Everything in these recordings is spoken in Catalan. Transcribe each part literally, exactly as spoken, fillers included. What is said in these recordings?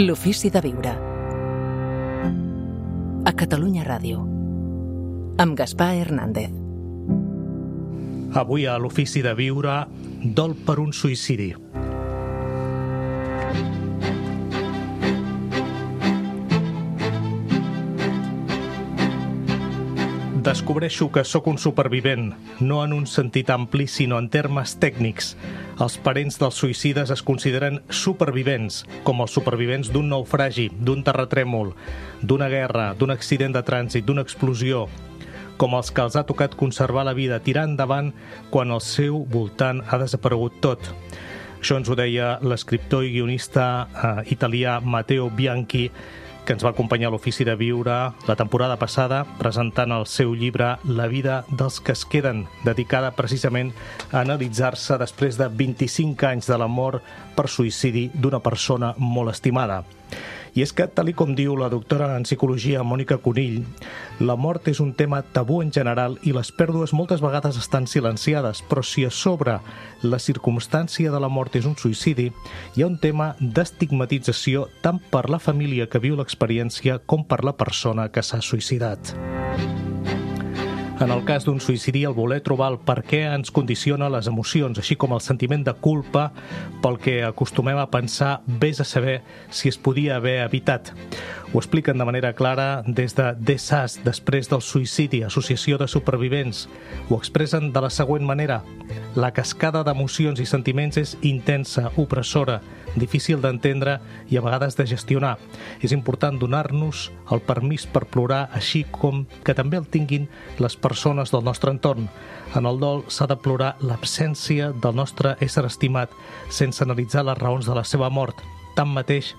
L'ofici de viure. A Catalunya Ràdio. Amb Gaspar Hernández. Avui a l'ofici de viure, dol per un suïcidi. Descobreixo que sóc un supervivent, no en un sentit ampli, sinó en termes tècnics. Els parents dels suïcides es consideren supervivents, com els supervivents d'un naufragi, d'un terratrèmol, d'una guerra, d'un accident de trànsit, d'una explosió, com els que els ha tocat conservar la vida, tirar endavant quan al seu voltant ha desaparegut tot. Això ens ho deia l'escriptor i guionista eh, italià Matteo Bianchi, que ens va acompanyar a l'Ofici de Viure la temporada passada presentant el seu llibre La vida dels que es queden, dedicada precisament a analitzar-se després de vint-i-cinc anys de la mort per suïcidi d'una persona molt estimada. I és que, tal i com diu la doctora en psicologia Mònica Conill, la mort és un tema tabú en general i les pèrdues moltes vegades estan silenciades, però si a sobre la circumstància de la mort és un suïcidi, hi ha un tema d'estigmatització tant per la família que viu l'experiència com per la persona que s'ha suïcidat. En el cas d'un suïcidi, el voler trobar el per què ens condiciona les emocions, així com el sentiment de culpa pel que acostumem a pensar vés a saber si es podia haver evitat. Ho expliquen de manera clara des de D S A S, després del suïcidi, Associació de Supervivents. Ho expressen de la següent manera. La cascada d'emocions i sentiments és intensa, opressora, difícil d'entendre i a vegades de gestionar. És important donar-nos el permís per plorar, així com que també el tinguin les persones del nostre entorn. En el dol s'ha de plorar l'absència del nostre ésser estimat, sense analitzar les raons de la seva mort. Tanmateix,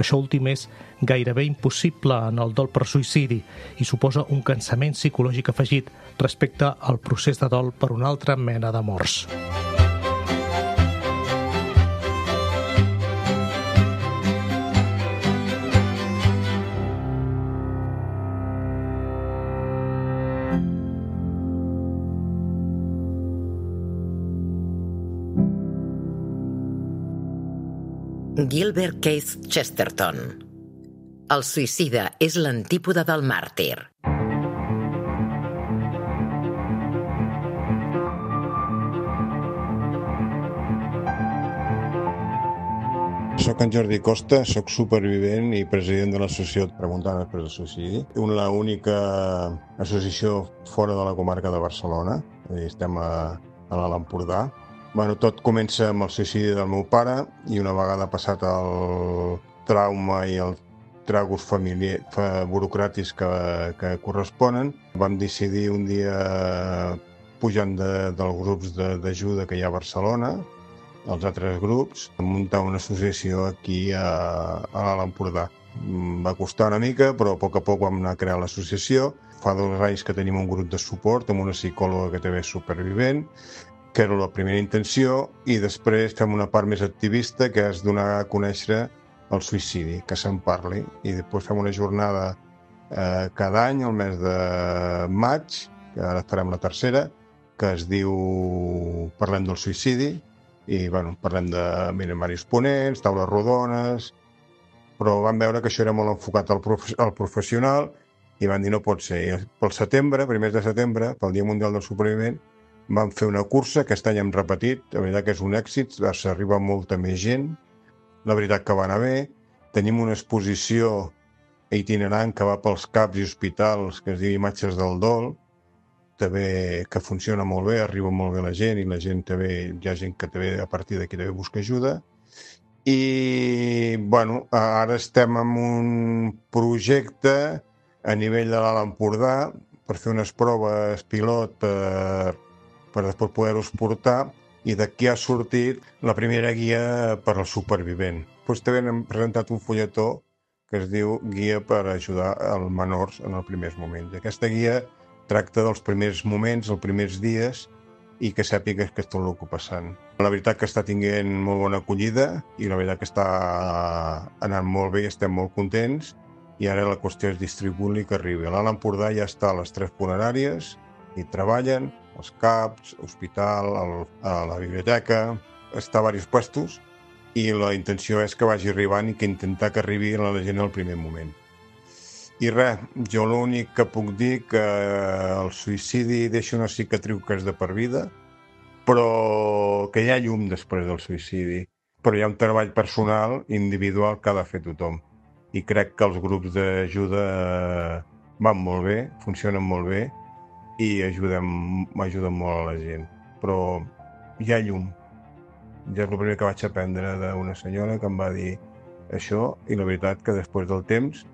això últim és gairebé impossible en el dol per suïcidi i suposa un cansament psicològic afegit respecte al procés de dol per una altra mena de morts. Gilbert Keith Chesterton. El suïcida és l'antípoda del màrtir. Soc en Jordi Costa, soc supervivent i president de l'associació Preguntant després del suïcidi. Una única associació fora de la comarca de Barcelona, estem a, a l'Alt Empordà. Bueno, tot comença amb el suïcidi del meu pare i una vegada passat el trauma i els tragos familiar, burocràtics que, que corresponen, vam decidir un dia, pujant de, dels grups d'ajuda que hi ha a Barcelona, els altres grups, muntar una associació aquí a, a l'Alt Empordà. Va costar una mica, però a poc a poc vam anar a crear l'associació. Fa dos anys que tenim un grup de suport amb una psicòloga que també és supervivent, que era la primera intenció, i després fem una part més activista, que és donar a conèixer el suïcidi, que se'n parli. I després fem una jornada eh, cada any, el mes de maig, que ara farem la tercera, que es diu Parlem del suïcidi, i bueno, parlem de mira, diversos ponents, taules rodones, però vam veure que això era molt enfocat al, prof al professional i van dir no pot ser. I pel setembre, primers de setembre, pel Dia Mundial del Supervivent, vam fer una cursa, aquest any hem repetit, la veritat que és un èxit, s'arriba molta més gent, la veritat que va anar bé, tenim una exposició itinerant que va pels caps i hospitals, que es diu Imatges del Dol, també que funciona molt bé, arriba molt bé la gent i la gent també, hi ha gent que també a partir d'aquí també busca ajuda. I, bueno, ara estem en un projecte a nivell de l'Alt Empordà per fer unes proves pilot per per després poder-ho exportar, i d'aquí ha sortit la primera guia per al supervivent. Després també hem presentat un fulletó que es diu Guia per ajudar als menors en els primers moments. Aquesta guia tracta dels primers moments, els primers dies, i que sàpigues que és tot el que passant. La veritat que està tinguent molt bona acollida i la veritat que està anant molt bé i estem molt contents, i ara la qüestió és distribuir-li que arribi. A l'Alt Empordà ja està a les tres funeràries i treballen, els CAPs, hospital, el, a la biblioteca, està a diversos puestos, i la intenció és que vagi arribant i que intentar que arribi a la gent al primer moment. I res, jo l'únic que puc dir que el suïcidi deixa una cicatriu que és de per vida, però que hi ha llum després del suïcidi. Però hi ha un treball personal, individual, que ha de fer tothom. I crec que els grups d'ajuda van molt bé, funcionen molt bé i ajuden, ajuden molt a la gent. Però hi ha llum. Ja és el primer que vaig aprendre d'una senyora que em va dir això, i la veritat que després del temps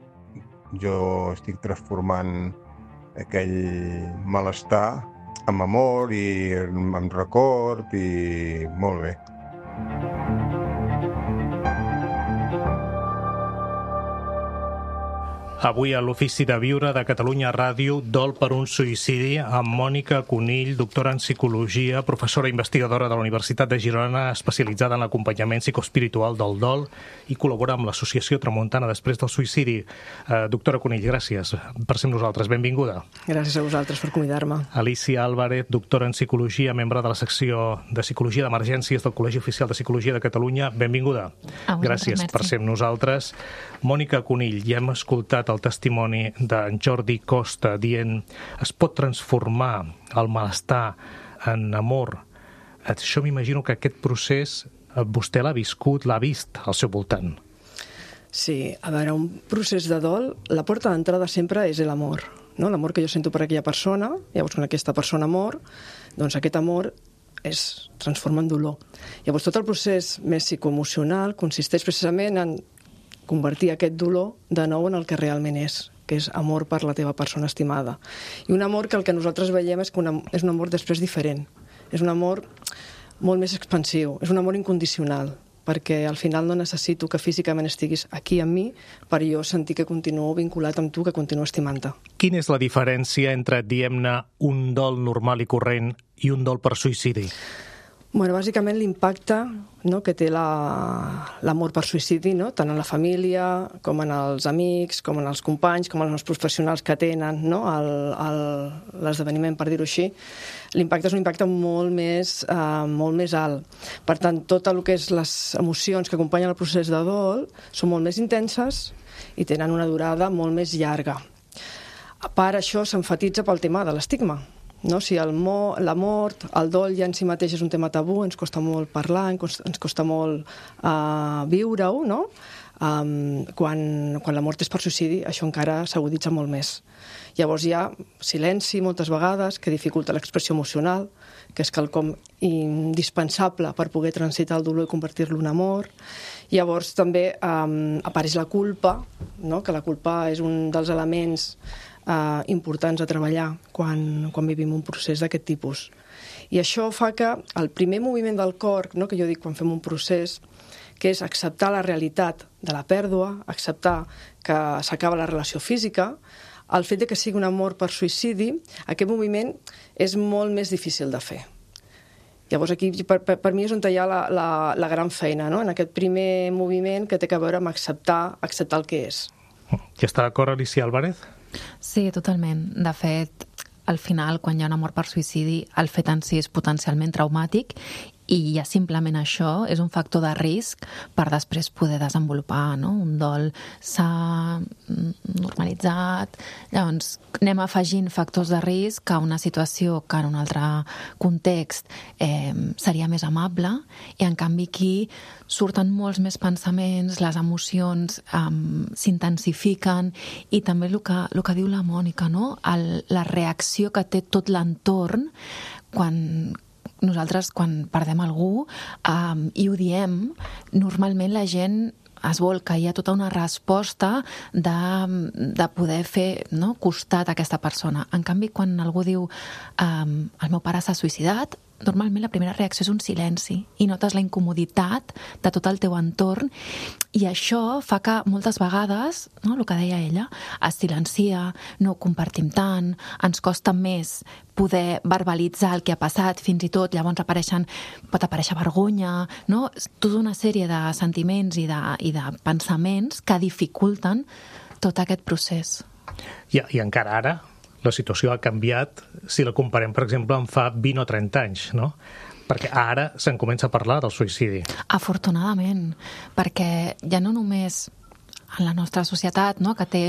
jo estic transformant aquell malestar amb amor i amb record i molt bé. Avui a l'Ofici de Viure de Catalunya Ràdio, Dol per un suïcidi, amb Mònica Conill, doctora en psicologia, professora investigadora de la Universitat de Girona, especialitzada en l'acompanyament psicoespiritual del dol i col·labora amb l'Associació Tramuntana després del suïcidi. Eh, doctora Conill, gràcies per ser amb nosaltres. Benvinguda. Gràcies a vosaltres per convidar-me. Alicia Álvarez, doctora en psicologia, membre de la secció de psicologia d'emergències del Col·legi Oficial de Psicologia de Catalunya. Benvinguda. Gràcies per ser amb nosaltres. Mònica Conill, ja hem escoltat el testimoni d'en Jordi Costa dient es pot transformar el malestar en amor. Això m'imagino que aquest procés vostè l'ha viscut, l'ha vist al seu voltant. Sí, a veure, un procés de dol, la porta d'entrada sempre és l'amor, no? L'amor que jo sento per aquella persona, llavors quan aquesta persona mor, doncs aquest amor es transforma en dolor. Llavors tot el procés més psicoemocional consisteix precisament en convertir aquest dolor de nou en el que realment és, que és amor per la teva persona estimada. I un amor que el que nosaltres veiem és que una, és un amor després diferent. És un amor molt més expansiu, és un amor incondicional, perquè al final no necessito que físicament estiguis aquí amb mi per jo sentir que continuo vinculat amb tu, que continuo estimant-te. Quina és la diferència entre, diguem-ne, un dol normal i corrent i un dol per suïcidi? Bueno, bàsicament l'impacte, no, que té l'amor per suïcidi, no? Tant en la família, com en els amics, com en els companys, com en els professionals que tenen, no? L'esdeveniment, per dir-ho així. L'impacte és un impacte molt més, eh, molt més alt. Per tant, tot el que és les emocions que acompanyen el procés de dol són molt més intenses i tenen una durada molt més llarga. A part, això s'enfatitza pel tema de l'estigma. No? Si el mo, la mort, el dol ja en si mateix és un tema tabú, ens costa molt parlar, ens costa, ens costa molt uh, viure-ho, no? Um, quan, quan la mort és per suïcidi, això encara s'aguditza molt més. Llavors hi ha silenci moltes vegades que dificulta l'expressió emocional, que és quelcom indispensable per poder transitar el dolor i convertir-lo en amor. Llavors també um, apareix la culpa, no? Que la culpa és un dels elements Uh, importants a treballar quan, quan vivim un procés d'aquest tipus. I això fa que el primer moviment del cor, no, que jo dic quan fem un procés, que és acceptar la realitat de la pèrdua, acceptar que s'acaba la relació física, el fet de que sigui un amor per suïcidi, aquest moviment és molt més difícil de fer. Llavors aquí per, per, per mi és on hi ha la, la, la gran feina, no? En aquest primer moviment que té a veure amb acceptar, acceptar el que és. Ja està d'acord, Alicia Álvarez? Sí, totalment. De fet, al final, quan hi ha una mort per suïcidi, el fet en si és potencialment traumàtic i ja simplement això és un factor de risc per després poder desenvolupar, no? Un dol s'ha normalitzat, llavors anem afegint factors de risc a una situació que en un altre context eh, seria més amable i en canvi aquí surten molts més pensaments, les emocions um, s'intensifiquen i també el que, el que diu la Mònica, no? El, la reacció que té tot l'entorn quan nosaltres, quan perdem algú um, i ho diem, normalment la gent es volca, hi ha tota una resposta de, de poder fer, no, costat a aquesta persona. En canvi, quan algú diu um, el meu pare s'ha suïcidat, normalment la primera reacció és un silenci i notes la incomoditat de tot el teu entorn i això fa que moltes vegades, no, el que deia ella, es silencia, no ho compartim tant, ens costa més poder verbalitzar el que ha passat, fins i tot llavors apareixen, pot aparèixer vergonya, no? Tota una sèrie de sentiments i de, i de pensaments que dificulten tot aquest procés. I, i encara ara la situació ha canviat si la comparem, per exemple, amb fa vint o trenta anys, no? Perquè ara se'n comença a parlar del suïcidi. Afortunadament, perquè ja no només en la nostra societat, no?, que té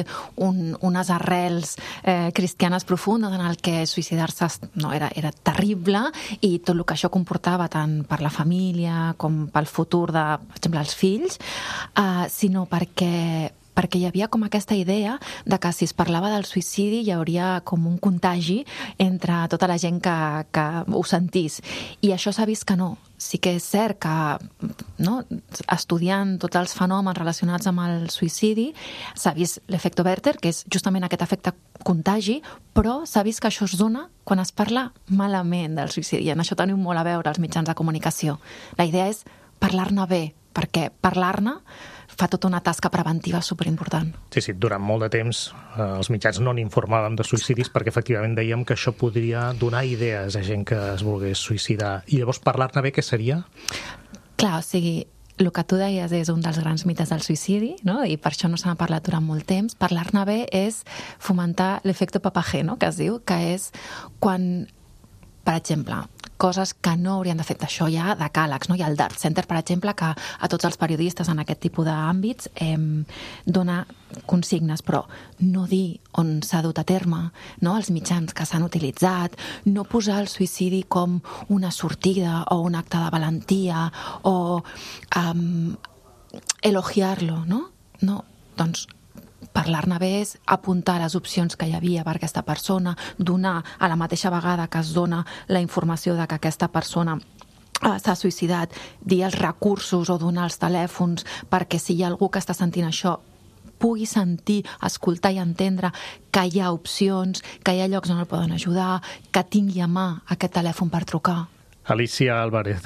un, unes arrels eh, cristianes profundes en el que suïcidar-se no, era, era terrible i tot el que això comportava tant per la família com pel futur de, per exemple, els fills, eh, sinó perquè perquè hi havia com aquesta idea de que si es parlava del suïcidi hi hauria com un contagi entre tota la gent que, que ho sentís. I això s'ha vist que no. Sí que és cert que, no, estudiant tots els fenòmens relacionats amb el suïcidi, s'ha vist l'efecte Werther, que és justament aquest efecte contagi, però s'ha vist que això es dona quan es parla malament del suïcidi. I en això tenim molt a veure els mitjans de comunicació. La idea és parlar-ne bé, perquè parlar-ne fa tota una tasca preventiva superimportant. Sí, sí, durant molt de temps eh, els mitjans no n'informàvem de suïcidis perquè efectivament dèiem que això podria donar idees a gent que es volgués suïcidar. I llavors parlar-ne bé, què seria? Clar, o sigui, el que tu deies és un dels grans mites del suïcidi, no? I per això no se n'ha parlat durant molt temps. Parlar-ne bé és fomentar l'efecte papagé, no?, que es diu, que és quan, per exemple, coses que no haurien de fer això ja de càlegs, no? Hi ha el Dart Center, per exemple, que a tots els periodistes en aquest tipus d'àmbits eh, dona consignes, però no dir on s'ha dut a terme, no? Els mitjans que s'han utilitzat, no posar el suïcidi com una sortida o un acte de valentia o um, elogiar-lo, no? No, doncs parlar-ne bé és apuntar les opcions que hi havia per aquesta persona, donar a la mateixa vegada que es dona la informació de que aquesta persona s'ha suïcidat, dir els recursos o donar els telèfons perquè si hi ha algú que està sentint això pugui sentir, escoltar i entendre que hi ha opcions, que hi ha llocs on el poden ajudar, que tingui a mà aquest telèfon per trucar. Alicia Álvarez,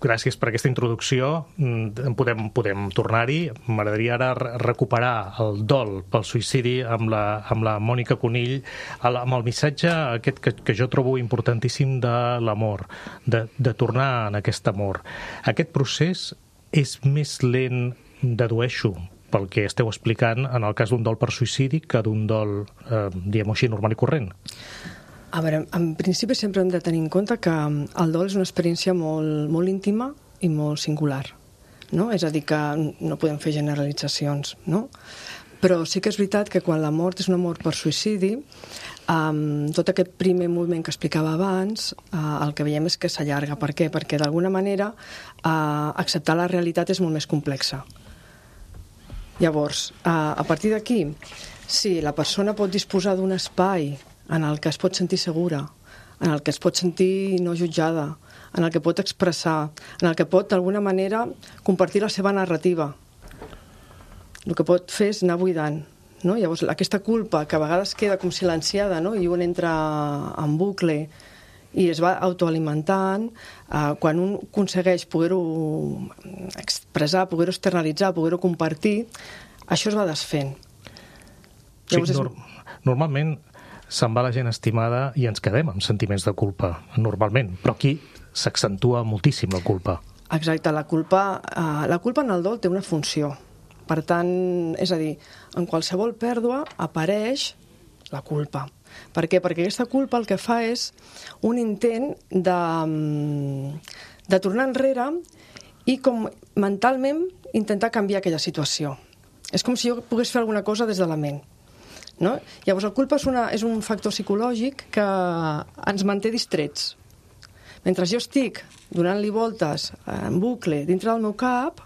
gràcies per aquesta introducció. Podem, podem tornar-hi. M'agradaria ara recuperar el dol pel suïcidi amb la, amb la Mònica Conill, amb el missatge aquest que, que jo trobo importantíssim de l'amor, de, de tornar en aquest amor. Aquest procés és més lent, dedueixo, pel que esteu explicant en el cas d'un dol per suïcidi que d'un dol, eh, diguem-ho així, normal i corrent. A veure, en principi sempre hem de tenir en compte que el dol és una experiència molt, molt íntima i molt singular, no? És a dir, que no podem fer generalitzacions, no? Però sí que és veritat que quan la mort és una mort per suïcidi, um, tot aquest primer moviment que explicava abans, uh, el que veiem és que s'allarga. Per què? Perquè d'alguna manera uh, acceptar la realitat és molt més complexa. Llavors, uh, a partir d'aquí, si la persona pot disposar d'un espai en el que es pot sentir segura, en el que es pot sentir no jutjada, en el que pot expressar, en el que pot d'alguna manera compartir la seva narrativa. El que pot fer és anar buidant, no? Llavors, aquesta culpa que a vegades queda com silenciada, no? I un entra en bucle i es va autoalimentant, eh, quan un aconsegueix poder-ho expressar, poder-ho externalitzar, poder-ho compartir, això es va desfent. Llavors, sí, és... Normalment se'n va la gent estimada i ens quedem amb sentiments de culpa, normalment, però aquí s'accentua moltíssim la culpa. Exacte, la culpa, eh, la culpa en el dol té una funció. Per tant, és a dir, en qualsevol pèrdua apareix la culpa. Per què? Perquè aquesta culpa el que fa és un intent de, de tornar enrere i com mentalment intentar canviar aquella situació. És com si jo pogués fer alguna cosa des de la ment. No? Llavors, la culpa és, una, és un factor psicològic que ens manté distrets. Mentre jo estic donant-li voltes en bucle dintre del meu cap,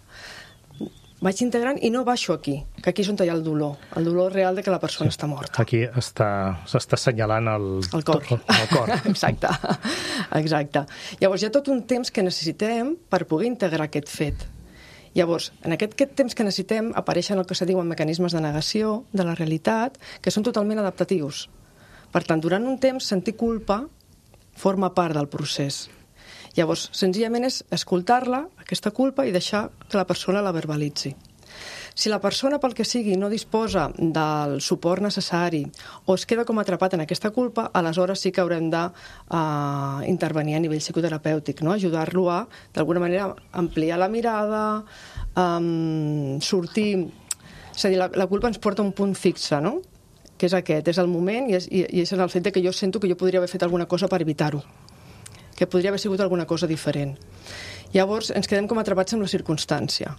vaig integrant i no baixo aquí, que aquí és on hi ha el dolor, el dolor real de que la persona sí, està morta. Aquí està, s'està assenyalant el, el cor. El, el cor. Exacte. Exacte. Llavors, hi ha tot un temps que necessitem per poder integrar aquest fet. Llavors, en aquest, aquest temps que necessitem apareixen el que se diuen mecanismes de negació de la realitat, que són totalment adaptatius. Per tant, durant un temps, sentir culpa forma part del procés. Llavors, senzillament és escoltar-la, aquesta culpa, i deixar que la persona la verbalitzi. Si la persona, pel que sigui, no disposa del suport necessari o es queda com atrapat en aquesta culpa, aleshores sí que haurem d'intervenir uh, a nivell psicoterapèutic, no? Ajudar-lo a, d'alguna manera, ampliar la mirada, um, sortir... És a dir, la, la culpa ens porta a un punt fixe, no? Que és aquest, és el moment i és, i, i és en el fet de que jo sento que jo podria haver fet alguna cosa per evitar-ho. que podria haver sigut alguna cosa diferent. Llavors ens quedem com atrapats amb la circumstància.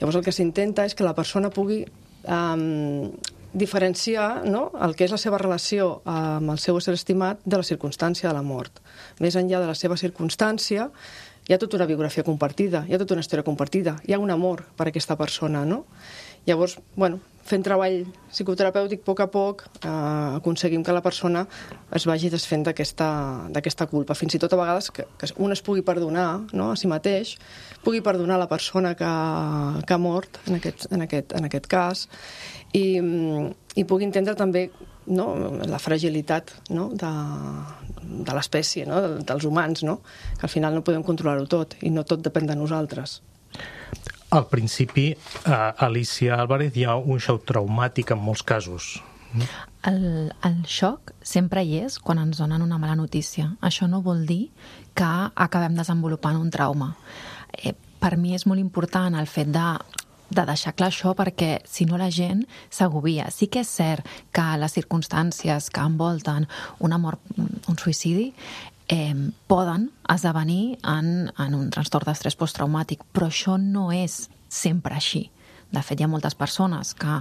Llavors el que s'intenta és que la persona pugui um, diferenciar, no?, el que és la seva relació amb el seu ésser estimat de la circumstància de la mort. Més enllà de la seva circumstància, hi ha tota una biografia compartida, hi ha tota una història compartida, hi ha un amor per aquesta persona, no? Llavors, bueno, fent treball psicoterapèutic a poc a poc, eh, aconseguim que la persona es vagi desfent d'aquesta culpa. Fins i tot a vegades que, que un es pugui perdonar, no?, a si mateix, pugui perdonar la persona que, que ha mort, en aquest, en aquest, en aquest cas, i, i pugui entendre també, no?, la fragilitat, no?, de, de l'espècie, no?, dels humans, no?, que al final no podem controlar-ho tot i no tot depèn de nosaltres. Al principi, a Alicia Álvarez, hi ha un xoc traumàtic en molts casos. El, el xoc sempre hi és quan ens donen una mala notícia. Això no vol dir que acabem desenvolupant un trauma. Eh, per mi és molt important el fet de de deixar clar això, perquè si no la gent s'agobia. Sí que és cert que les circumstàncies que envolten una mort, un suïcidi, eh, poden esdevenir en, en un trastorn d'estrès posttraumàtic, però això no és sempre així. De fet, hi ha moltes persones que,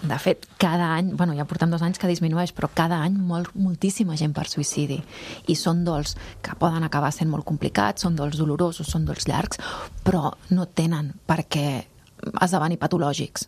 de fet, cada any, bueno, ja portem dos anys que disminueix, però cada any molt, moltíssima gent per suïcidi. I són dols que poden acabar sent molt complicats, són dols dolorosos, són dols llargs, però no tenen per què esdevenir patològics.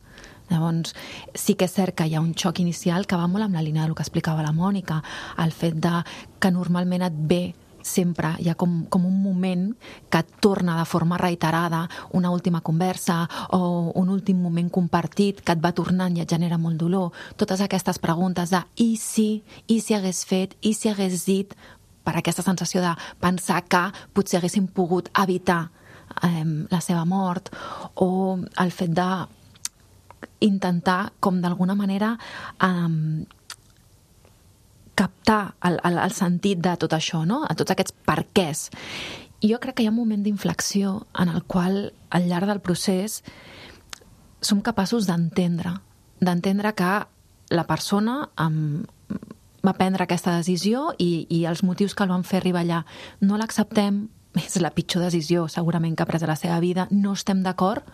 Llavors, sí que és cert que hi ha un xoc inicial que va molt amb la línia del que explicava la Mònica, el fet de que normalment et ve sempre, hi ha com, com un moment que et torna de forma reiterada una última conversa o un últim moment compartit que et va tornant i et genera molt dolor. Totes aquestes preguntes de i si, i si hagués fet, i si hagués dit, per aquesta sensació de pensar que potser haguéssim pogut evitar eh, la seva mort, o el fet de intentar, com d'alguna manera, eh, captar el, el, el sentit de tot això, no? A tots aquests perquès. I jo crec que hi ha un moment d'inflexió en el qual, al llarg del procés, som capaços d'entendre, d'entendre que la persona um, va prendre aquesta decisió i, i els motius que el van fer arribar allà no l'acceptem, és la pitjor decisió segurament que ha pres a la seva vida, no estem d'acord,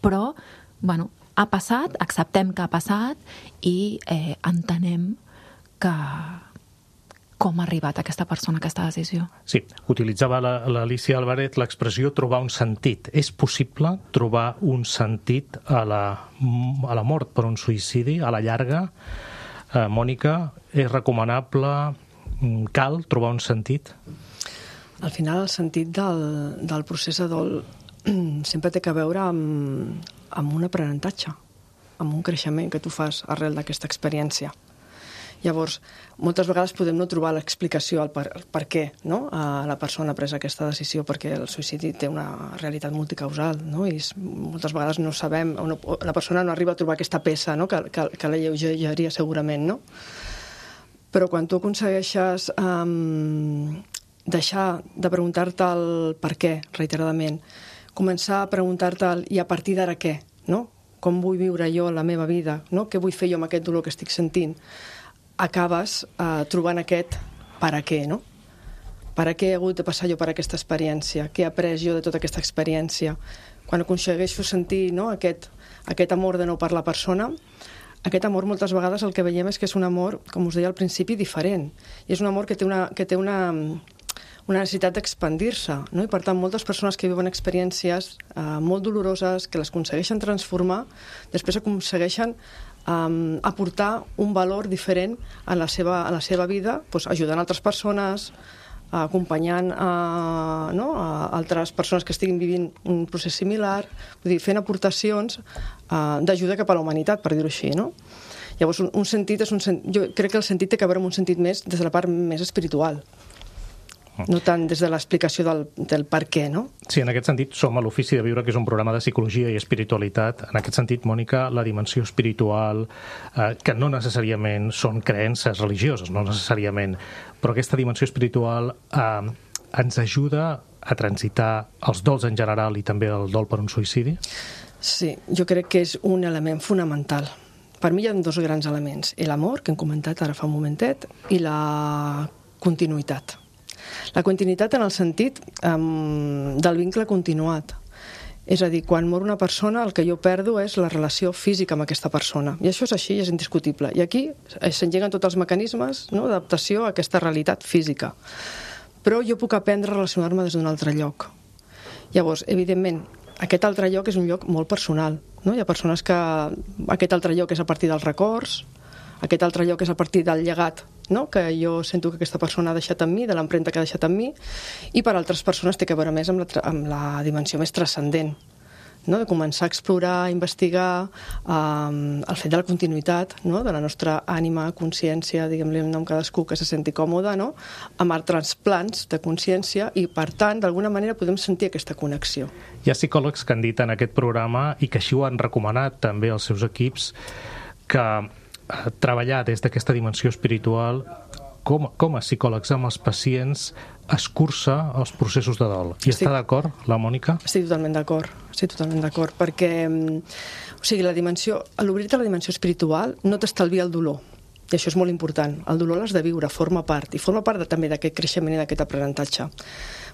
però, bueno, ha passat, acceptem que ha passat i eh, entenem que com ha arribat aquesta persona a aquesta decisió. Sí, utilitzava l'Alicia Álvarez l'expressió trobar un sentit. És possible trobar un sentit a la, a la mort per un suïcidi, a la llarga? Eh, Mònica, és recomanable? Cal trobar un sentit? Al final, el sentit del, del procés de dol sempre té que veure amb, amb un aprenentatge, amb un creixement que tu fas arrel d'aquesta experiència. Llavors, moltes vegades podem no trobar l'explicació al per, per què, no? A la persona ha pres aquesta decisió, perquè el suïcidi té una realitat multicausal, no? I moltes vegades no sabem, no, la persona no arriba a trobar aquesta peça, no? que, que, que la lleugeria segurament, no? Però quan tu aconsegueixes um, deixar de preguntar-te el per què reiteradament, començar a preguntar-te el i a partir d'ara què, no? Com vull viure jo la meva vida, no? Què vull fer jo amb aquest dolor que estic sentint? Acabes eh, trobant aquest per a què, no? Per a què he hagut de passar jo per aquesta experiència? Què he après jo de tota aquesta experiència? Quan aconsegueixo sentir, no, aquest, aquest amor de nou per la persona, aquest amor moltes vegades el que veiem és que és un amor, com us deia al principi, diferent. I és un amor que té una, que té una, una necessitat d'expandir-se, no? I per tant, moltes persones que viuen experiències eh, molt doloroses, que les aconsegueixen transformar, després aconsegueixen Um, aportar un valor diferent a la seva, a la seva vida, doncs, ajudant altres persones, acompanyant a, no, a altres persones que estiguin vivint un procés similar, vull dir, fent aportacions uh, d'ajuda cap a la humanitat, per dir-ho així, no? Llavors, un, un sentit és un sen... jo crec que el sentit té que veure amb un sentit més des de la part més espiritual, no tant des de l'explicació del, del per què, no? Sí, en aquest sentit som a l'Ofici de Viure, que és un programa de psicologia i espiritualitat. En aquest sentit, Mònica, la dimensió espiritual, eh, que no necessàriament són creences religioses, no necessàriament, però aquesta dimensió espiritual eh, ens ajuda a transitar els dols en general i també el dol per un suïcidi? Sí, jo crec que és un element fonamental. Per mi hi ha dos grans elements, l'amor, que hem comentat ara fa un momentet, i la continuïtat. La continuïtat en el sentit um, del vincle continuat. És a dir, quan mor una persona, el que jo perdo és la relació física amb aquesta persona. I això és així, és indiscutible. I aquí s'engeguen tots els mecanismes, no?, d'adaptació a aquesta realitat física. Però jo puc aprendre a relacionar-me des d'un altre lloc. Llavors, evidentment, aquest altre lloc és un lloc molt personal. No? Hi ha persones que aquest altre lloc és a partir dels records, aquest altre lloc és a partir del llegat, no?, que jo sento que aquesta persona ha deixat en mi, de l'empremta que ha deixat en mi, i per altres persones té a veure més amb la, amb la dimensió més transcendent, no?, de començar a explorar, a investigar um, el fet de la continuïtat, no?, de la nostra ànima, consciència, diguem-li el nom cadascú que se senti còmode, no?, amb altres plans de consciència, i per tant, d'alguna manera podem sentir aquesta connexió. Hi ha psicòlegs que han dit en aquest programa, i que així ho han recomanat també als seus equips, que treballar des d'aquesta dimensió espiritual com, com a psicòlegs amb els pacients escurça els processos de dol. I estic, està d'acord, la Mònica? Estic totalment d'acord, estic totalment d'acord, perquè o sigui, la dimensió, l'obrir-te a la dimensió espiritual no t'estalvia el dolor, i això és molt important. El dolor l'has de viure, forma part, i forma part de, també d'aquest creixement i d'aquest aprenentatge.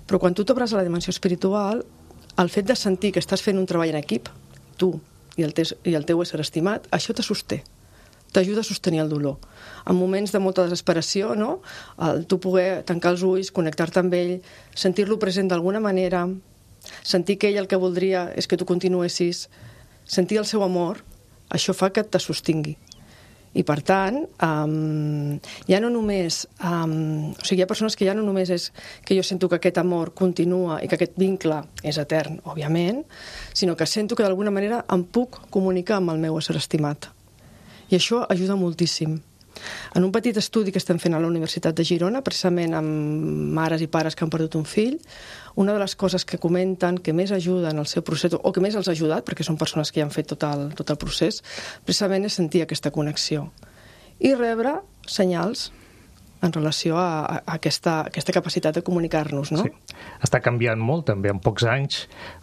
Però quan tu t'obres a la dimensió espiritual, el fet de sentir que estàs fent un treball en equip, tu i el, tes, i el teu ésser estimat, això te sosté. T'ajuda a sostenir el dolor. En moments de molta desesperació, no?, el tu poder tancar els ulls, connectar-te amb ell, sentir-lo present d'alguna manera, sentir que ell el que voldria és que tu continuessis, sentir el seu amor, això fa que te sostingui. I per tant, um, ja no només, um, o sigui, hi ha persones que ja no només és que jo sento que aquest amor continua i que aquest vincle és etern, òbviament, sinó que sento que d'alguna manera em puc comunicar amb el meu ésser estimat. I això ajuda moltíssim. En un petit estudi que estem fent a la Universitat de Girona, precisament amb mares i pares que han perdut un fill, una de les coses que comenten que més ajuden al seu procés, o que més els ha ajudat, perquè són persones que ja han fet tot el, tot el procés, precisament és sentir aquesta connexió. I rebre senyals en relació a, a aquesta, aquesta capacitat de comunicar-nos, no? Sí. Està canviant molt, també, en pocs anys,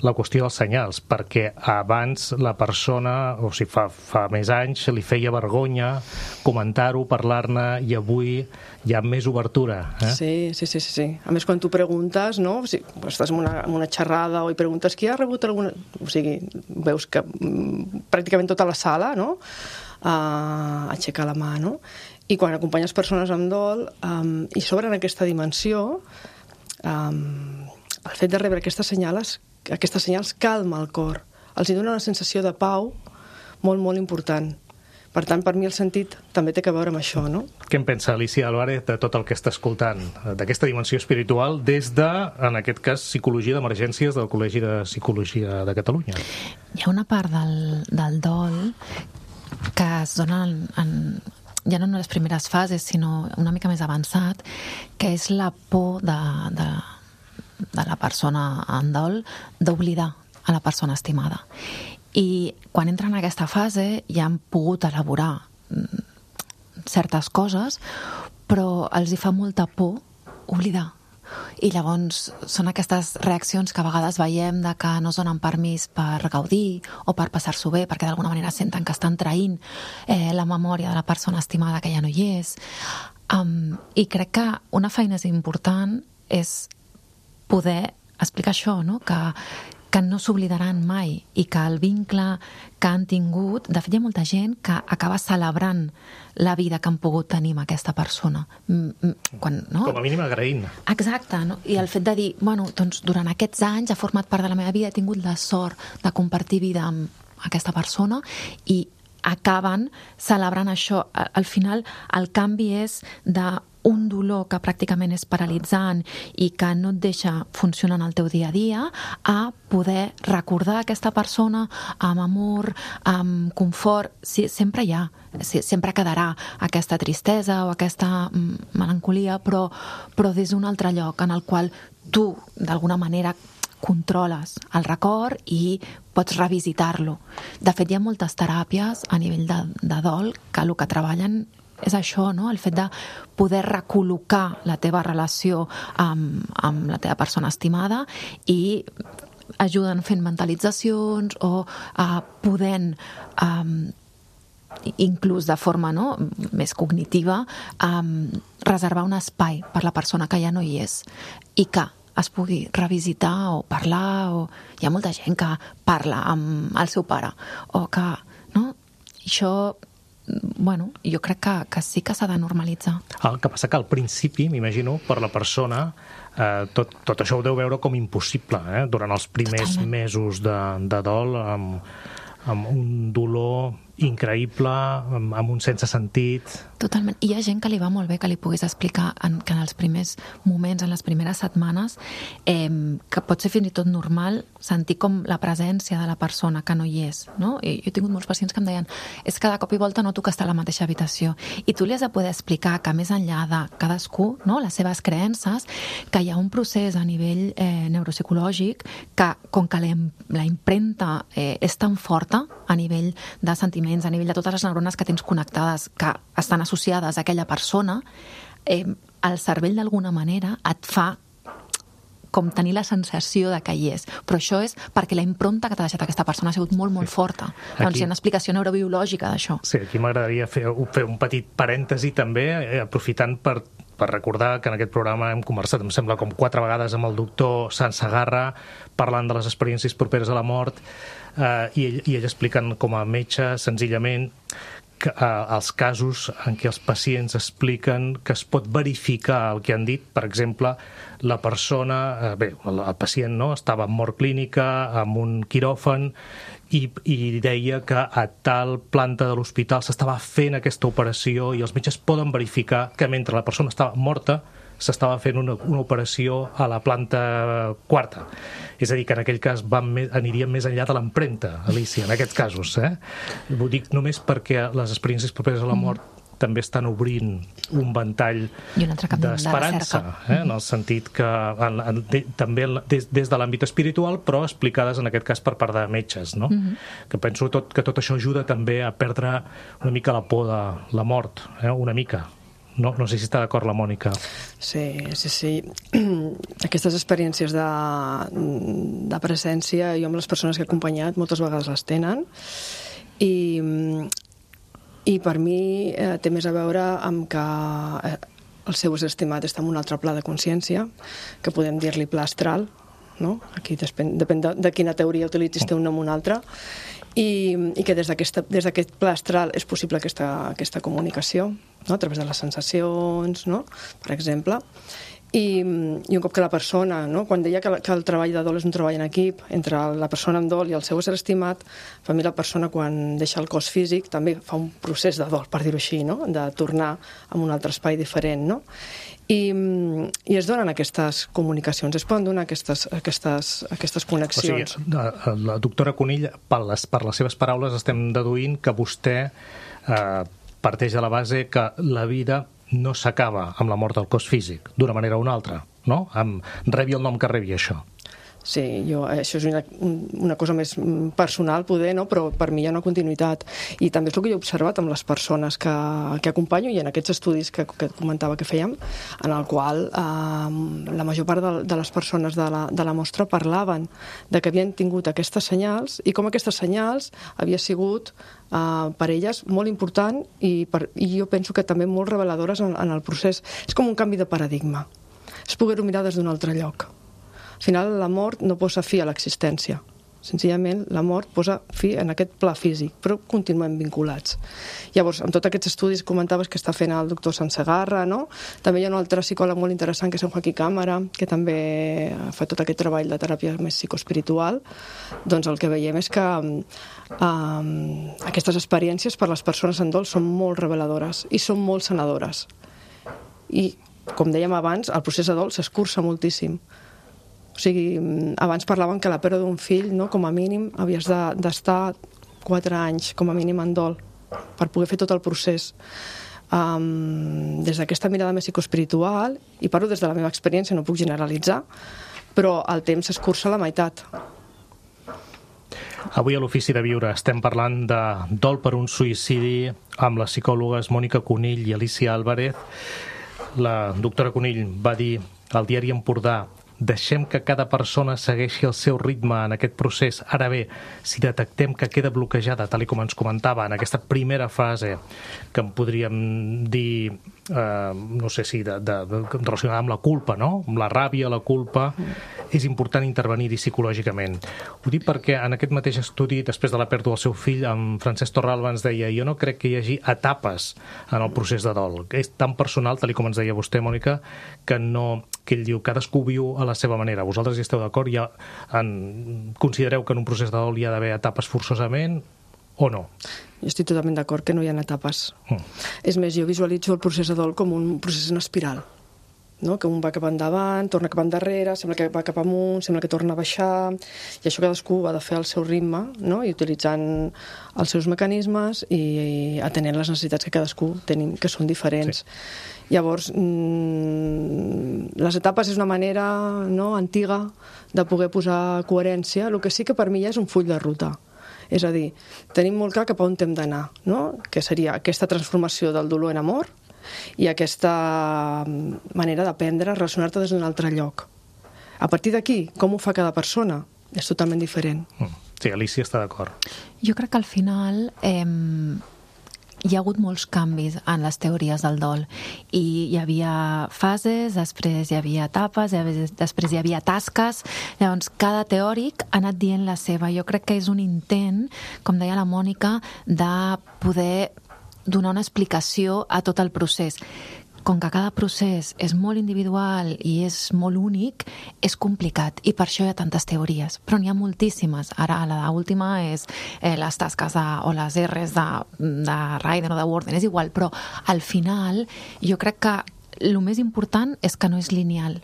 la qüestió dels senyals, perquè abans la persona, o sigui, fa, fa més anys, li feia vergonya comentar-ho, parlar-ne, i avui hi ha més obertura. Eh? Sí, sí, sí, sí, sí. A més, quan tu preguntes, no? O sigui, estàs en una, en una xerrada o hi preguntes qui ha rebut alguna... O sigui, veus que mm, pràcticament tota la sala, no?, uh, aixeca la mà, no? I quan acompanyes persones amb dol um, i s'obren aquesta dimensió, um, el fet de rebre aquestes senyals, aquestes senyals calma el cor, els hi dona una sensació de pau molt, molt important. Per tant, per mi el sentit també té a veure amb això, no? Què en pensa Alicia Álvarez de tot el que està escoltant, d'aquesta dimensió espiritual, des de, en aquest cas, Psicologia d'Emergències del Col·legi de Psicologia de Catalunya? Hi ha una part del, del dol que es dona en, en ja no en les primeres fases, sinó una mica més avançat, que és la por de, de, de la persona en dol d'oblidar a la persona estimada. I quan entren en aquesta fase ja han pogut elaborar certes coses, però els hi fa molta por oblidar. I llavors són aquestes reaccions que a vegades veiem de que no es donen permís per gaudir o per passar-s'ho bé, perquè d'alguna manera senten que estan traint eh, la memòria de la persona estimada que ja no hi és. Um, I crec que una feina important és poder explicar això, no? que, que no s'oblidaran mai i que el vincle que han tingut, de fet hi ha molta gent que acaba celebrant la vida que han pogut tenir amb aquesta persona. Quan, no? Com a mínim agraint. Exacte, no? I el fet de dir, bueno, doncs durant aquests anys ha format part de la meva vida, he tingut la sort de compartir vida amb aquesta persona i acaben celebrant això. Al final el canvi és de un dolor que pràcticament és paralitzant i que no et deixa funcionar en el teu dia a dia, a poder recordar aquesta persona amb amor, amb confort. Sí, sempre hi ha, sí, sempre quedarà aquesta tristesa o aquesta melancolia, però, però des d'un altre lloc en el qual tu, d'alguna manera, controles el record i pots revisitar-lo. De fet, hi ha moltes teràpies a nivell de, de dol que el que treballen és això, no? El fet de poder recol·locar la teva relació amb, amb la teva persona estimada i ajuden fent mentalitzacions o uh, podent um, inclús de forma no, més cognitiva, um, reservar un espai per la persona que ja no hi és i que es pugui revisitar o parlar, o hi ha molta gent que parla amb el seu pare, o que, no? Això, bueno, jo crec que, que sí que s'ha de normalitzar. El que passa que al principi, m'imagino, per la persona, eh, tot, tot això ho deu veure com impossible, eh? Durant els primers Totalment. mesos de, de dol, amb, amb un dolor increïble, amb, amb un sense sentit. Totalment. I hi ha gent que li va molt bé que li puguis explicar en, que en els primers moments, en les primeres setmanes, eh, que pot ser fins i tot normal sentir com la presència de la persona que no hi és, no? I jo he tingut molts pacients que em deien és que de cop i volta noto que està a la mateixa habitació. I tu li has de poder explicar que més enllà de cadascú, no?, les seves creences, que hi ha un procés a nivell eh, neuropsicològic que, com que la, la impremta eh, és tan forta a nivell de sentiments, a nivell de totes les neurones que tens connectades, que estan associades a aquella persona, eh, el cervell d'alguna manera et fa com tenir la sensació de que hi és. Però això és perquè la impronta que t'ha deixat aquesta persona ha sigut molt, molt sí. forta. Aquí, doncs hi ha una explicació neurobiològica d'això. Sí, aquí m'agradaria fer, fer un petit parèntesi també, eh, aprofitant per per recordar que en aquest programa hem conversat, em sembla, com quatre vegades amb el doctor Sansegarra, parlant de les experiències properes a la mort, eh, i, ell, i ell explicant com a metge, senzillament, que, eh, els casos en què els pacients expliquen que es pot verificar el que han dit. Per exemple, la persona, eh, bé, el, el pacient no, estava en mort clínica, amb un quiròfan, i, i deia que a tal planta de l'hospital s'estava fent aquesta operació i els metges poden verificar que mentre la persona estava morta s'estava fent una, una operació a la planta quarta. És a dir, que en aquell cas van més, anirien més enllà de l'empremta, Alicia, en aquests casos. Eh? Ho dic només perquè les experiències properes a la mort mm. també estan obrint un ventall d'esperança, de eh? en el sentit que en, en, de, també des, des de l'àmbit espiritual, però explicades en aquest cas per part de metges, no? Mm-hmm. Que penso tot, que tot això ajuda també a perdre una mica la por de la mort, eh? una mica. No, no sé si està d'acord la Mònica. Sí, sí, sí. Aquestes experiències de, de presència, jo amb les persones que he acompanyat moltes vegades les tenen, i I per mi eh, té més a veure amb que eh, el seu estimat està en un altre pla de consciència, que podem dir-li pla astral, no? Aquí depèn, depèn de, de quina teoria utilitzis té un nom o un altre, i, i que des d'aquest pla astral és possible aquesta, aquesta comunicació, no? A través de les sensacions, no? Per exemple. I, i un cop que la persona, no? Quan deia que, que el treball de dol és un treball en equip entre la persona amb dol i el seu ésser estimat, per mi la persona quan deixa el cos físic també fa un procés de dol, per dir-ho així, no? De tornar a un altre espai diferent, no? I, i es donen aquestes comunicacions, es poden donar aquestes, aquestes, aquestes connexions. O sigui, la, la doctora Conill, per les, per les seves paraules estem deduint que vostè eh, parteix de la base que la vida no s'acaba amb la mort del cos físic, d'una manera o una altra, no? Amb, rebi el nom que rebi això. Sí, jo, això és una, una cosa més personal, poder, no? Però per mi hi ha una continuïtat. I també és el que jo he observat amb les persones que, que acompanyo i en aquests estudis que, que comentava que fèiem, en el qual eh, la major part de, de les persones de la, de la mostra parlaven de que havien tingut aquestes senyals i com aquestes senyals havia sigut Uh, per elles molt important i, per, i jo penso que també molt reveladores en, en el procés. És com un canvi de paradigma. És poder-ho mirar des d'un altre lloc. Al final la mort no posa fi a l'existència. Senzillament la mort posa fi en aquest pla físic, però continuem vinculats. Llavors, amb tots aquests estudis comentaves que està fent el doctor Sansegarra, no? També hi ha un altre psicòleg molt interessant que és en Joaquí Cámara, que també fa tot aquest treball de teràpia més psicoespiritual. Doncs el que veiem és que um, aquestes experiències per les persones en dol són molt reveladores i són molt sanadores. I, com dèiem abans, el procés de dol s'escurça moltíssim. O sigui, abans parlàvem que la pèrdua d'un fill, no, com a mínim, havies d'estar de, quatre anys, com a mínim, en dol, per poder fer tot el procés. Um, des d'aquesta mirada més psicoespiritual, i parlo des de la meva experiència, no puc generalitzar, però el temps s'escurça a la meitat. Avui a l'Ofici de Viure estem parlant de dol per un suïcidi amb les psicòlogues Mònica Conill i Alicia Álvarez. La doctora Conill va dir al diari Empordà deixem que cada persona segueixi el seu ritme en aquest procés. Ara bé, si detectem que queda bloquejada, tal i com ens comentava, en aquesta primera fase, que en podríem dir, eh, no sé si, de, de, de, relacionada amb la culpa, no? Amb la ràbia, la culpa, és important intervenir-hi psicològicament. Ho dic perquè en aquest mateix estudi, després de la pèrdua del seu fill, en Francesc Torralba ens deia: jo no crec que hi hagi etapes en el procés de dol. És tan personal, tal com ens deia vostè, Mònica, que no, que ell diu, cadascú viu a la seva manera. Vosaltres hi esteu d'acord? Ja en, considereu que en un procés de dol hi ha d'haver etapes forçosament o no? Jo estic totalment d'acord que no hi ha etapes. Mm. És més, jo visualitzo el procés de dol com un procés en espiral, no? Que un va cap endavant, torna cap endarrere, sembla que va cap amunt, sembla que torna a baixar, i això cadascú ha de fer al seu ritme, no? I utilitzant els seus mecanismes i, i atenent les necessitats que cadascú tenim, que són diferents. Sí. Llavors, mmm, les etapes és una manera, no, antiga de poder posar coherència. El que sí que per mi ja és un full de ruta. És a dir, tenim molt clar cap a on hem d'anar, no? Que seria aquesta transformació del dolor en amor i aquesta manera d'aprendre a relacionar-te des d'un altre lloc. A partir d'aquí, com ho fa cada persona? És totalment diferent. Sí, Alicia està d'acord. Jo crec que al final eh, hi ha hagut molts canvis en les teories del dol i hi havia fases, després hi havia etapes, després hi havia tasques. Llavors, cada teòric ha anat dient la seva. Jo crec que és un intent, com deia la Mònica, de poder donar una explicació a tot el procés. Com que cada procés és molt individual i és molt únic, és complicat i per això hi ha tantes teories, però n'hi ha moltíssimes. Ara l'última és eh, les tasques de, o les R's de, de Ryder o de Worden, és igual, però al final jo crec que el més important és que no és lineal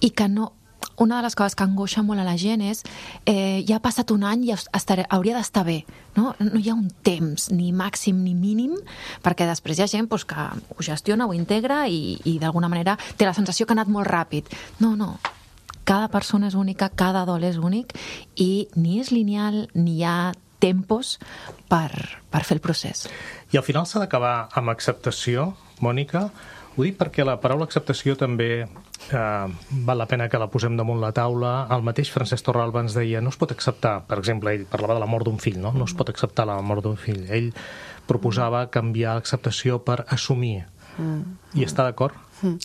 i que no... Una de les coses que angoixa molt a la gent és eh, ja ha passat un any i estaré, hauria d'estar bé, no? No hi ha un temps ni màxim ni mínim, perquè després hi ha gent pues, que ho gestiona, ho integra i, i d'alguna manera té la sensació que ha anat molt ràpid. No, no, cada persona és única, cada dol és únic i ni és lineal ni hi ha tempos per, per fer el procés. I al final s'ha d'acabar amb acceptació, Mònica? Ho dic perquè la paraula acceptació també eh, val la pena que la posem damunt la taula. El mateix Francesc Torralba ens deia no es pot acceptar, per exemple, ell parlava de la mort d'un fill, no? No es pot acceptar la mort d'un fill. Ell proposava canviar l'acceptació per assumir. Mm. I està d'acord? Mm.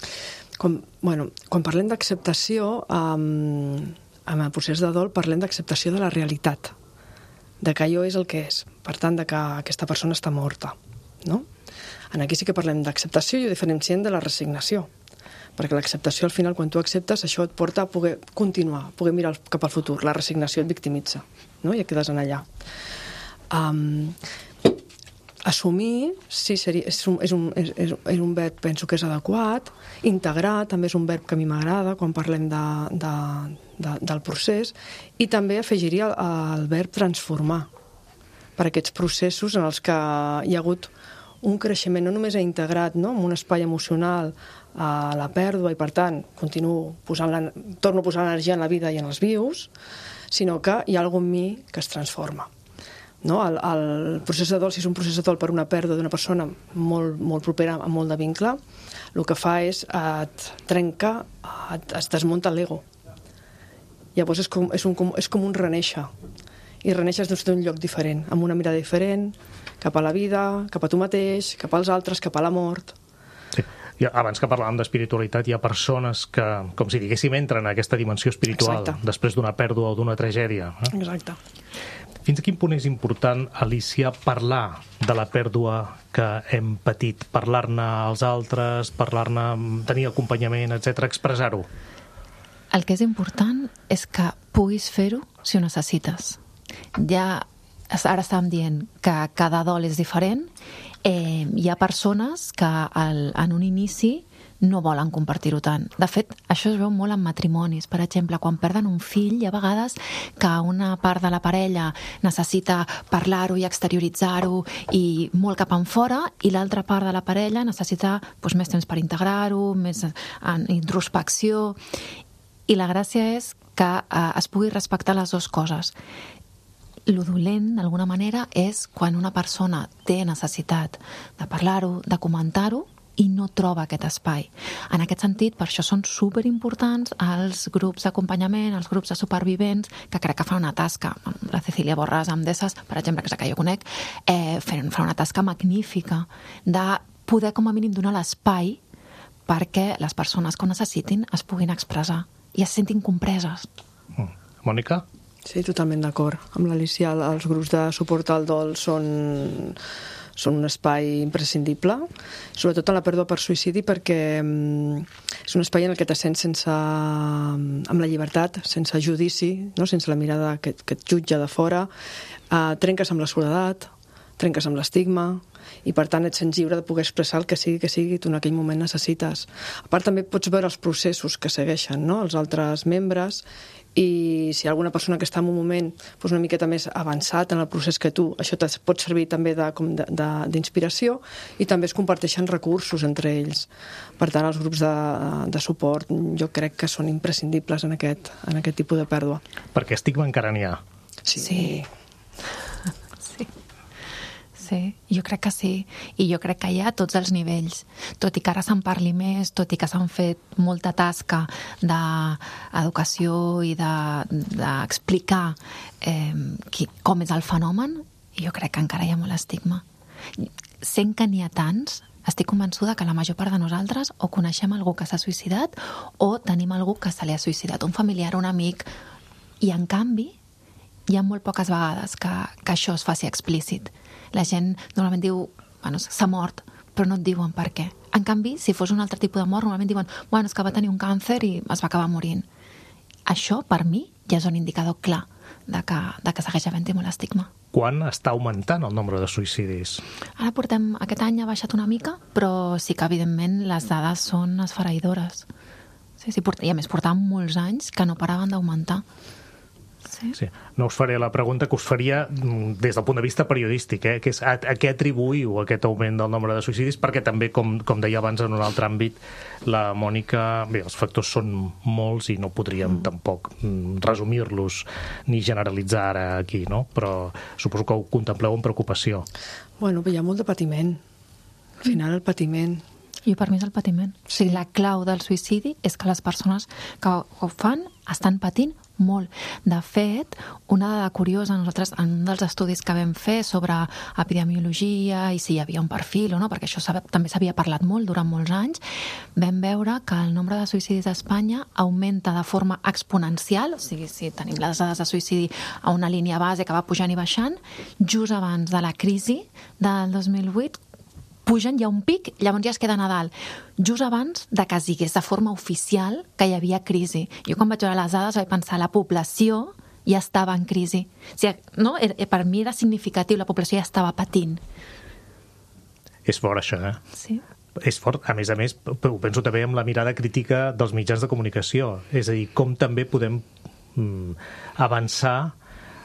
Com, bueno, quan parlem d'acceptació, um, en el procés de dol parlem d'acceptació de la realitat, de que allò és el que és, per tant, de que aquesta persona està morta, no? En aquí sí que parlem d'acceptació i ho diferenciem de la resignació, perquè l'acceptació al final, quan tu acceptes, això et porta a poder continuar, a poder mirar cap al futur. La resignació et victimitza, no? I et quedes en allà. Um, assumir, sí, seria, és, un, és, un, és, és un verb, penso que és adequat. Integrar també és un verb que a mi m'agrada quan parlem de, de, de, del procés, i també afegiria el, el verb transformar, per aquests processos en els que hi ha hagut un creixement, no només ha integrat, no, en un espai emocional a la pèrdua i, per tant, continuo posant la, torno a posar l'energia en la vida i en els vius, sinó que hi ha alguna en mi que es transforma. No? El, el procés de dol, si és un procés de dol per una pèrdua d'una persona molt, molt propera, amb molt de vincle, el que fa és et trenca, et, es desmunta l'ego. Llavors és com, és, un, és com un reneixer. I reneixes des d'un lloc diferent, amb una mirada diferent, cap a la vida, cap a tu mateix, cap als altres, cap a la mort. Sí. I abans que parlàvem d'espiritualitat, hi ha persones que, com si diguéssim, entren en aquesta dimensió espiritual. Exacte. Després d'una pèrdua o d'una tragèdia. Eh? Exacte. Fins a quin punt és important, Alicia, parlar de la pèrdua que hem patit? Parlar-ne als altres, parlar-ne, tenir acompanyament, etcètera, expressar-ho? El que és important és que puguis fer-ho si ho necessites. Ja ara estàvem dient que cada dol és diferent. Eh, hi ha persones que al, en un inici no volen compartir-ho tant. De fet, això es veu molt en matrimonis. Per exemple, quan perden un fill, hi ha vegades que una part de la parella necessita parlar-ho i exterioritzar-ho i molt cap enfora, i l'altra part de la parella necessita doncs, més temps per integrar-ho, més en introspecció. I la gràcia és que eh, es pugui respectar les dues coses. Lo dolent, d'alguna manera, és quan una persona té necessitat de parlar-ho, de comentar-ho, i no troba aquest espai. En aquest sentit, per això són superimportants els grups d'acompanyament, els grups de supervivents, que crec que fan una tasca. La Cecília Borràs amb Desses, per exemple, que és la que jo conec, eh, fan una tasca magnífica de poder com a mínim donar l'espai perquè les persones que ho necessitin es puguin expressar i es sentin compreses. Mm. Mònica? Sí, totalment d'acord. Amb l'Alicia, els grups de suport al dol són, són un espai imprescindible, sobretot en la pèrdua per suïcidi, perquè és un espai en el que te sents sense, amb la llibertat, sense judici, no? Sense la mirada que, que et jutja de fora, eh, trenques amb la soledat, trenques amb l'estigma, i per tant et sents lliure de poder expressar el que sigui que sigui tu en aquell moment necessites. A part també pots veure els processos que segueixen, no? Els altres membres, i si hi ha alguna persona que està en un moment doncs una miqueta més avançat en el procés que tu, això te pot servir també d'inspiració, i també es comparteixen recursos entre ells. Per tant, els grups de, de suport jo crec que són imprescindibles en aquest, en aquest tipus de pèrdua. Perquè estigma encara n'hi ha. Sí. Sí. Sí, jo crec que sí. I jo crec que hi ha a tots els nivells. Tot i que ara se'n parli més, tot i que s'han fet molta tasca d'educació i d'explicar de, eh, com és el fenomen, jo crec que encara hi ha molt estigma. Sent que n'hi ha tants, estic convençuda que la major part de nosaltres o coneixem algú que s'ha suïcidat o tenim algú que se li ha suïcidat, un familiar, un amic, i en canvi hi ha molt poques vegades que, que això es faci explícit. La gent normalment diu, bueno, s'ha mort, però no et diuen per què. En canvi, si fos un altre tipus de mort, normalment diuen, bueno, és que va tenir un càncer i es va acabar morint. Això, per mi, ja és un indicador clar de que, de que segueix havent-hi molt estigma. Quan està augmentant el nombre de suïcidis? Ara portem, aquest any ha baixat una mica, però sí que, evidentment, les dades són esfereïdores. Sí, sí, I a més, portàvem molts anys que no paraven d'augmentar. Sí. Sí. No us faré la pregunta que us faria des del punt de vista periodístic, eh? que és a, a què atribuïu aquest augment del nombre de suïcidis, perquè també, com, com deia abans en un altre àmbit, la Mònica, bé, els factors són molts i no podríem mm. tampoc resumir-los ni generalitzar ara aquí, no? Però suposo que ho contempleu amb preocupació. Bueno, hi ha molt de patiment. Al final, el patiment... I per mi és el patiment. O sigui, la clau del suïcidi és que les persones que ho fan estan patint molt. De fet, una dada curiosa, nosaltres en un dels estudis que vam fer sobre epidemiologia i si hi havia un perfil o no, perquè això també s'havia parlat molt durant molts anys, vam veure que el nombre de suïcidis a Espanya augmenta de forma exponencial, o sigui, si tenim les dades de suïcidi a una línia base que va pujant i baixant, just abans de la crisi del dos mil vuit, pugen, hi ha un pic, llavors ja es queda a dalt. Just abans de que es digués de forma oficial que hi havia crisi. Jo quan vaig veure les dades vaig pensar la població ja estava en crisi. O sigui, no? Per mi era significatiu, la població ja estava patint. És fort això, eh? Sí. És fort. A més a més, ho penso també amb la mirada crítica dels mitjans de comunicació. És a dir, com també podem mm, avançar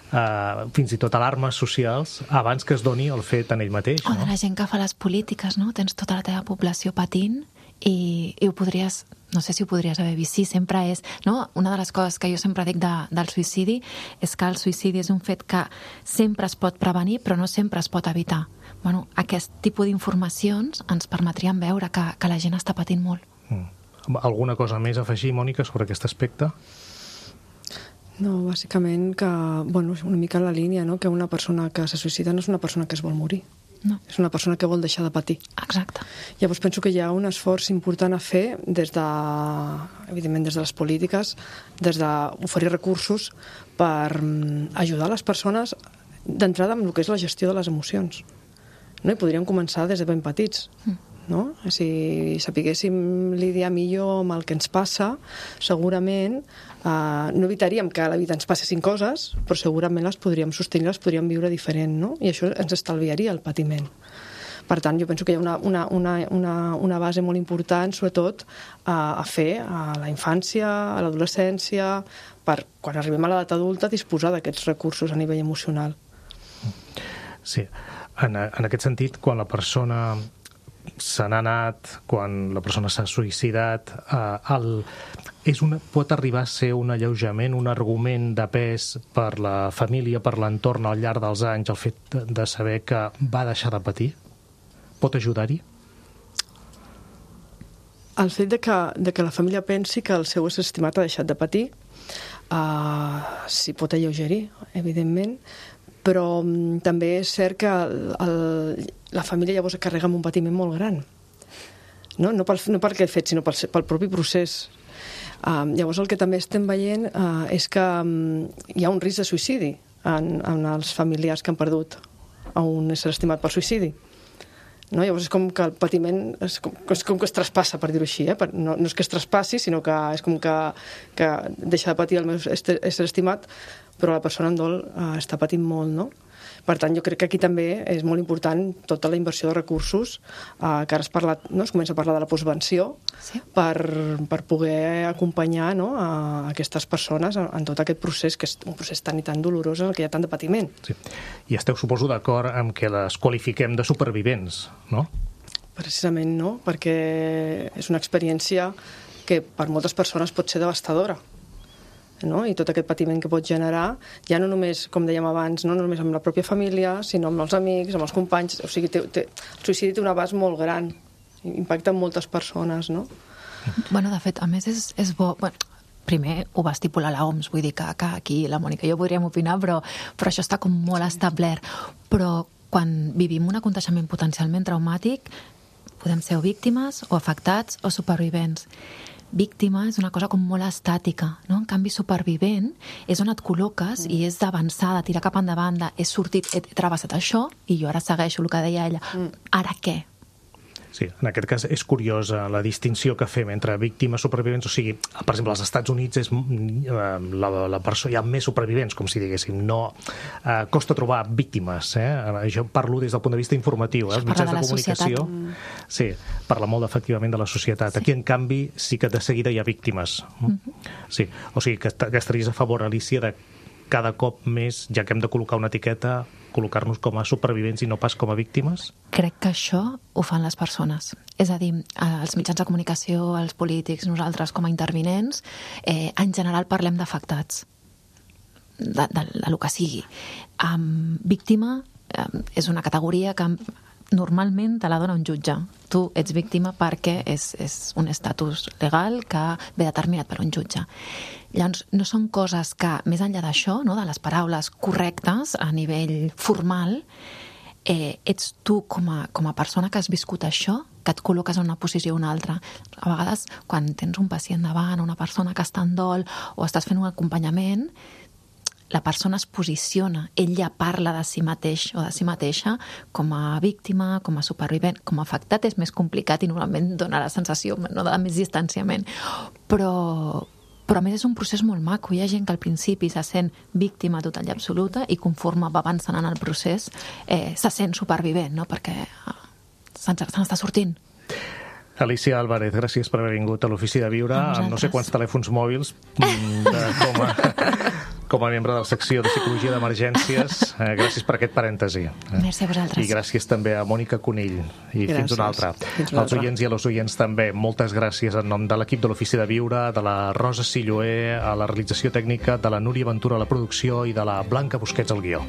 Uh, fins i tot alarmes socials abans que es doni el fet en ell mateix, no? O de la gent que fa les polítiques, no? Tens tota la teva població patint i, i ho podries, no sé si ho podries haver vist, sí, sempre és, no? Una de les coses que jo sempre dic de, del suïcidi és que el suïcidi és un fet que sempre es pot prevenir però no sempre es pot evitar. Bueno, aquest tipus d'informacions ens permetrien veure que, que la gent està patint molt. Mm. Alguna cosa més a afegir, Mònica, sobre aquest aspecte? No, bàsicament que, bueno, una mica en la línia, no? Que una persona que se suïcida no és una persona que es vol morir. No. És una persona que vol deixar de patir. Exacte. Llavors penso que hi ha un esforç important a fer des de, evidentment, des de les polítiques, des d'oferir recursos per ajudar les persones d'entrada amb el que és la gestió de les emocions. No? I podríem començar des de ben petits. Mm. No? Si sapiguéssim lidiar millor amb el que ens passa, segurament eh, no evitaríem que a la vida ens passessin coses, però segurament les podríem sostenir, les podríem viure diferent, no? I això ens estalviaria el patiment. Per tant, jo penso que hi ha una, una, una, una, una base molt important, sobretot, eh, a fer a la infància, a l'adolescència, per, quan arribem a l'edat adulta, disposar d'aquests recursos a nivell emocional. Sí. En, en aquest sentit, quan la persona se n'ha anat, quan la persona s'ha suïcidat, eh, el, és una, pot arribar a ser un alleujament, un argument de pes per la família, per l'entorn al llarg dels anys, el fet de saber que va deixar de patir? Pot ajudar-hi? el fet de que, de que la família pensi que el seu ésser estimat ha deixat de patir, uh, s'hi pot alleugerir, evidentment, però um, també és cert que el, el, la família llavors es carrega amb un patiment molt gran. No, no, pel, no perquè el fet, sinó pel, pel propi procés. Uh, llavors el que també estem veient uh, és que um, hi ha un risc de suïcidi en, en els familiars que han perdut a un ésser estimat per suïcidi. No? Llavors és com que el patiment és com, és com que es traspassa, per dir-ho així. Eh? No, no és que es traspassi, sinó que és com que, que deixa de patir el meu ésser estimat, però la persona en dol uh, està patint molt, no? Per tant, jo crec que aquí també és molt important tota la inversió de recursos, eh, que ara es, parla, no? es comença a parlar de la postvenció, sí. per, per poder acompanyar, no? a aquestes persones en, en tot aquest procés, que és un procés tan i tan dolorós en el que hi ha tant de patiment. Sí. I esteu, suposo, d'acord amb que les qualifiquem de supervivents, no? Precisament no, perquè és una experiència que per moltes persones pot ser devastadora. No? I tot aquest patiment que pot generar, ja no només, com dèiem abans, no només amb la pròpia família, sinó amb els amics, amb els companys. O sigui, té, té, el suïcidi té un abast molt gran, impacta en moltes persones, no? Bueno, de fet, a més és, és bo... Bueno, primer ho va estipular l'O M S, vull dir que, que aquí la Mònica i jo podríem opinar, però, però això està com molt establert. Però quan vivim un aconteixement potencialment traumàtic, podem ser o víctimes, o afectats, o supervivents. Víctima és una cosa com molt estàtica, no? En canvi, supervivent és on et col·loques mm. i és d'avançar, de tirar cap endavant, de he sortit, he travessat això i jo ara segueixo el que deia ella. Mm. Ara què? Sí, en aquest cas és curiosa la distinció que fem entre víctimes, supervivents, o sigui, per exemple, als Estats Units és, la, la persona, hi ha més supervivents, com si diguéssim, no eh, costa trobar víctimes, eh? Jo parlo des del punt de vista informatiu, eh? Els mitjans de, de comunicació societat. Sí, parla molt efectivament de la societat. Sí. Aquí, en canvi, sí que de seguida hi ha víctimes. Mm-hmm. Sí, o sigui, que, que estaries a favor, Alicia, de cada cop més, ja que hem de col·locar una etiqueta, col·locar-nos com a supervivents i no pas com a víctimes? Crec que això ho fan les persones. És a dir, els mitjans de comunicació, els polítics, nosaltres com a intervinents, eh, en general parlem d'afectats, de, de, de lo que sigui. Um, víctima um, és una categoria que normalment te la dona un jutge. Tu ets víctima perquè és, és un estatus legal que ve determinat per un jutge. Llavors, no són coses que, més enllà d'això, no, de les paraules correctes a nivell formal, eh, ets tu com a, com a persona que has viscut això, que et col·loques en una posició o una altra. A vegades, quan tens un pacient davant, una persona que està en dol, o estàs fent un acompanyament, la persona es posiciona, ella parla de si mateix o de si mateixa com a víctima, com a supervivent, com a afectat és més complicat i normalment dona la sensació no, de més distanciament. Però, però a més és un procés molt maco. Hi ha gent que al principi se sent víctima total i absoluta i conforme va avançant en el procés eh, se sent supervivent, no? Perquè se n'està sortint. Alicia Álvarez, gràcies per haver vingut a l'Ofici de Viure, amb no sé quants telèfons mòbils de, com, a, com a membre de la secció de Psicologia d'Emergències. Eh, gràcies per aquest parèntesi. Merci a vosaltres. I gràcies també a Mònica Conill. I gràcies. Fins una altra. Fins una altra. Als oients i a les oients també, moltes gràcies en nom de l'equip de l'Ofici de Viure, de la Rosa Silloé, a la realització tècnica, de la Núria Ventura a la producció i de la Blanca Busquets al guió.